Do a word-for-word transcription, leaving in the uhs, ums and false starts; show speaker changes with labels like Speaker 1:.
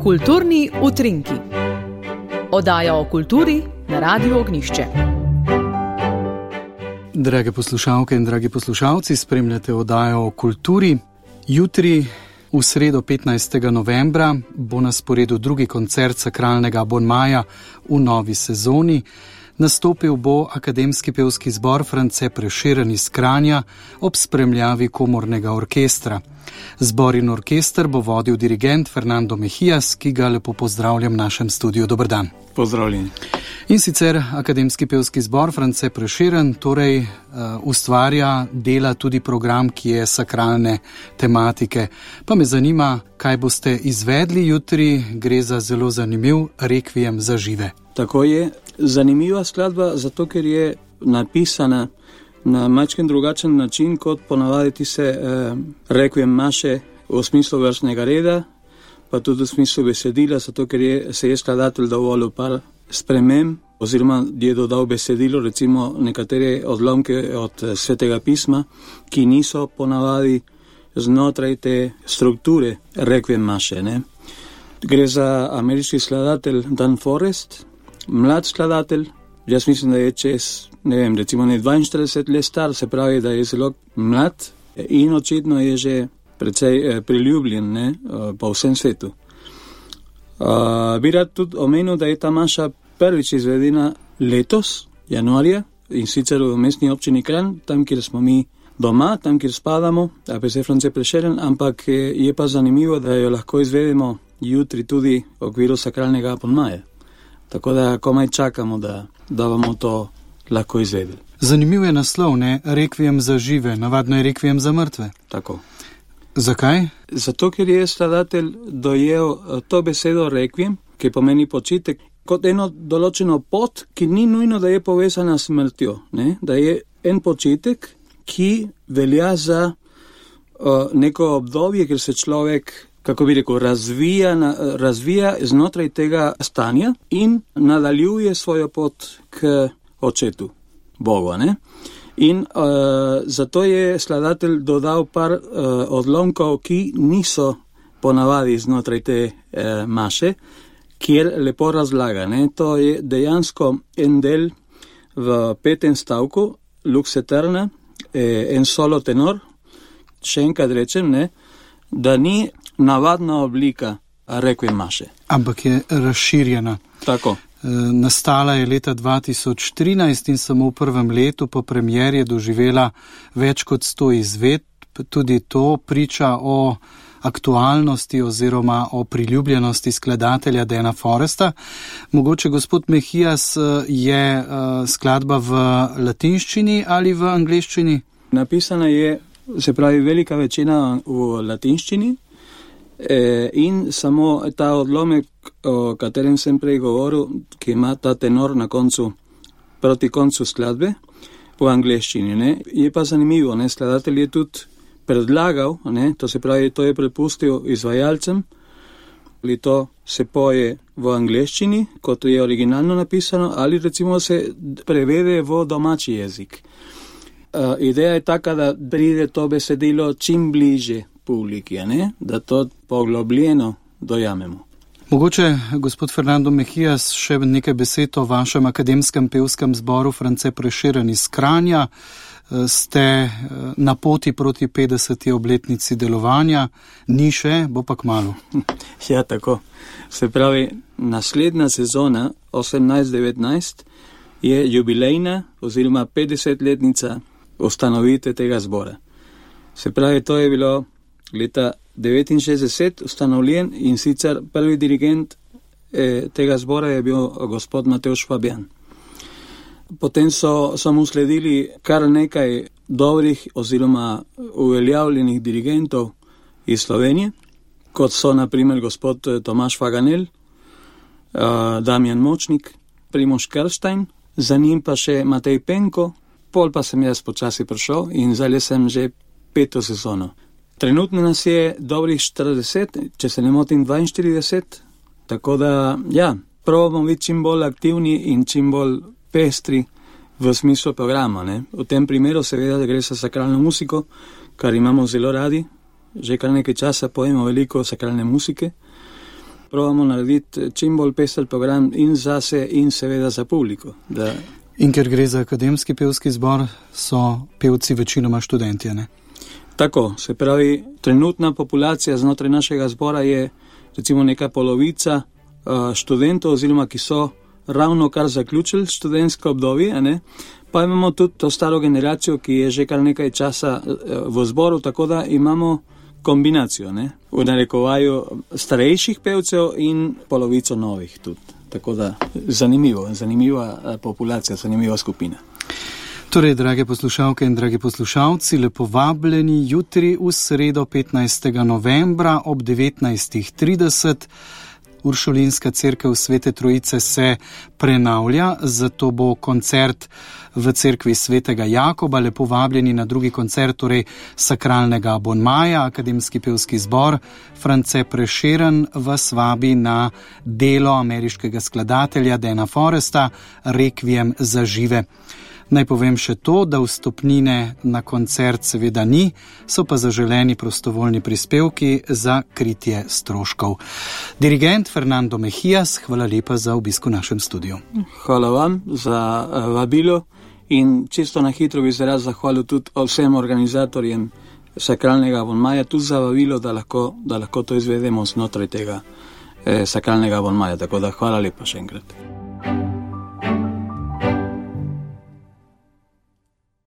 Speaker 1: Kulturni utrinki. Oddaja o kulturi na Radiu Ognjišče.
Speaker 2: Drage poslušalke in dragi poslušalci, spremljate oddajo o kulturi. Jutri, v sredo petnajstega novembra, bo na sporedu drugi koncert Sakralnega abonmaja v novi sezoni. Nastopil bo Akademski pevski zbor France Prešeren iz Kranja ob spremljavi komornega orkestra. Zbor in orkester bo vodil dirigent Fernando Mejías, ki ga lepo pozdravljam v našem studiu. Dober dan.
Speaker 3: Pozdravljeni.
Speaker 2: In sicer Akademski pevski zbor France Prešeren torej uh, ustvarja, dela tudi program, ki je sakralne tematike. Pa me zanima, kaj boste izvedli jutri. Gre za zelo zanimiv rekviem za žive.
Speaker 3: Tako je. Zanimiva skladba, zato ker je napisana na majčken drugačen način, kot ponavadi se eh, rekviem maše v smislu vrstnega reda, pa tudi v smislu besedila, zato ker je, se je skladatelj dovolil par sprememb, oziroma je dodal besedilo, recimo nekatere odlomke od Svetega pisma, ki niso ponavadi znotraj te strukture rekviem maše. Ne? Gre za ameriški skladatelj Dan Forrest, mlad skladatelj, jaz mislim, da je čez, ne vem, recimo ne dvainštirideset let star, se pravi, da je zelo mlad in očitno je že precej eh, priljubljen, ne, po vsem svetu. Uh, bi rad tudi omenil, da je ta maša prvič izvedena letos, januarja, in sicer v mestni občini Kranj, tam, kjer smo mi doma, tam, kjer spadamo, A P C France Prešeren, ampak je pa zanimivo, da jo lahko izvedemo jutri tudi v okviru Sakralnega abonmaja. Tako da komaj čakamo, da, da bomo to lahko izvedeli.
Speaker 2: Zanimiv je naslov, ne? Rekviem za žive, navadno je rekviem za mrtve.
Speaker 3: Tako.
Speaker 2: Zakaj?
Speaker 3: Zato, ker je skladatelj dojel to besedo rekviem, ki pomeni počitek, kot eno določeno pot, ki ni nujno, da je povezana s smrtjo. Ne? Da je en počitek, ki velja za uh, neko obdobje, ker se človek, kako bi rekel, razvija, razvija znotraj tega stanja in nadaljuje svojo pot k očetu, Bogu, ne? In uh, zato je skladatelj dodal par uh, odlomkov, ki niso ponavadi znotraj te uh, maše, kjer lepo razlaga, ne? To je dejansko en del v petem stavku, Lux Eterna, eh, en solo tenor, še enkrat rečem, ne? Da ni navadna oblika rekviem maše.
Speaker 2: Ampak je razširjena.
Speaker 3: Tako.
Speaker 2: E, nastala je leta dva tisoč trinajst in samo v prvem letu po premieri je doživela več kot sto izvedb. Tudi to priča o aktualnosti oziroma o priljubljenosti skladatelja Dana Forresta. Mogoče, gospod Mejías, je uh, skladba v latinščini ali v angleščini?
Speaker 3: Napisana je, se pravi, velika večina v latinščini, E, in samo ta odlomek, o katerem sem prej govoril, ki ima ta tenor na koncu, proti koncu skladbe, v angleščini. Ne? Je pa zanimivo, ne? Skladatelj je tudi predlagal, ne? To se pravi, to je prepustil izvajalcem, ali to se poje v angleščini, kot je originalno napisano, ali recimo se prevede v domači jezik. Uh, ideja je taka, da pride to besedilo čim bliže publiki, ne? Da to poglobljeno dojamemo.
Speaker 2: Mogoče, gospod Fernando Mejías, še nekaj besed o vašem akademskem pevskem zboru France Prešeren iz Kranja. Ste na poti proti petdeseti obletnici delovanja, ni še, bo pa kmalu.
Speaker 3: Ja, tako. Se pravi, naslednja sezona, osemnajst devetnajst, je jubilejna oziroma petdesetletnica ustanovitve tega zbora. Se pravi, to je bilo leta devetinšestdeset ustanovljen in sicer prvi dirigent eh, tega zbora je bil gospod Matevž Fabijan. Potem so, so mu sledili kar nekaj dobrih oziroma uveljavljenih dirigentov iz Slovenije, kot so na primer gospod Tomaž Faganel, uh, Damjan Močnik, Primož Krštajn, za njim pa še Matej Penko, pol pa sem jaz počasi prišel in zdaj sem že peto sezono. Trenutno nas je dobrih štirideset, če se ne motim dvainštirideset, tako da, ja, probamo biti čim bolj aktivni in čim bolj pestri v smislu programa, ne. V tem primeru seveda gre za sakralno muziko, kar imamo zelo radi, že kar nekaj časa pojemo veliko sakralne muzike, probamo narediti čim bolj pester program in zase in seveda za publiko. Da...
Speaker 2: In ker gre za akademski pevski zbor, so pevci večinoma študentje, ne?
Speaker 3: Tako, se pravi, trenutna populacija znotraj našega zbora je recimo neka polovica uh, študentov, oziroma ki so ravno kar zaključili študentsko obdobje, ne? Pa imamo tudi to staro generacijo, ki je že kar nekaj časa uh, v zboru, tako da imamo kombinacijo, ne? V narekovaju starejših pevcev in polovico novih tudi. Tako da zanimivo, zanimiva populacija, zanimiva skupina.
Speaker 2: Torej, drage poslušalke in dragi poslušalci, lepo vabljeni jutri v sredo petnajstega novembra ob devetnajstih trideset. Uršulinska cerkev Svete Trojice se prenavlja, zato bo koncert v cerkvi Svetega Jakoba. Lepo vabljeni na drugi koncert, torej sakralnega abonmaja. Akademski pevski zbor France Prešeren vas vabi na delo ameriškega skladatelja Dana Foresta Requiem za žive. Naj povem še to, da vstopnine na koncert seveda ni, so pa zaželeni prostovoljni prispevki za kritje stroškov. Dirigent Fernando Mejías, hvala lepa za obisk v našem studiu.
Speaker 3: Hvala vam za vabilo in čisto na hitro bi se rad zahvalil tudi vsem organizatorjem sakralnega abonmaja, tudi za vabilo, da lahko, da lahko to izvedemo znotraj tega eh, sakralnega abonmaja. Tako da hvala lepa še enkrat.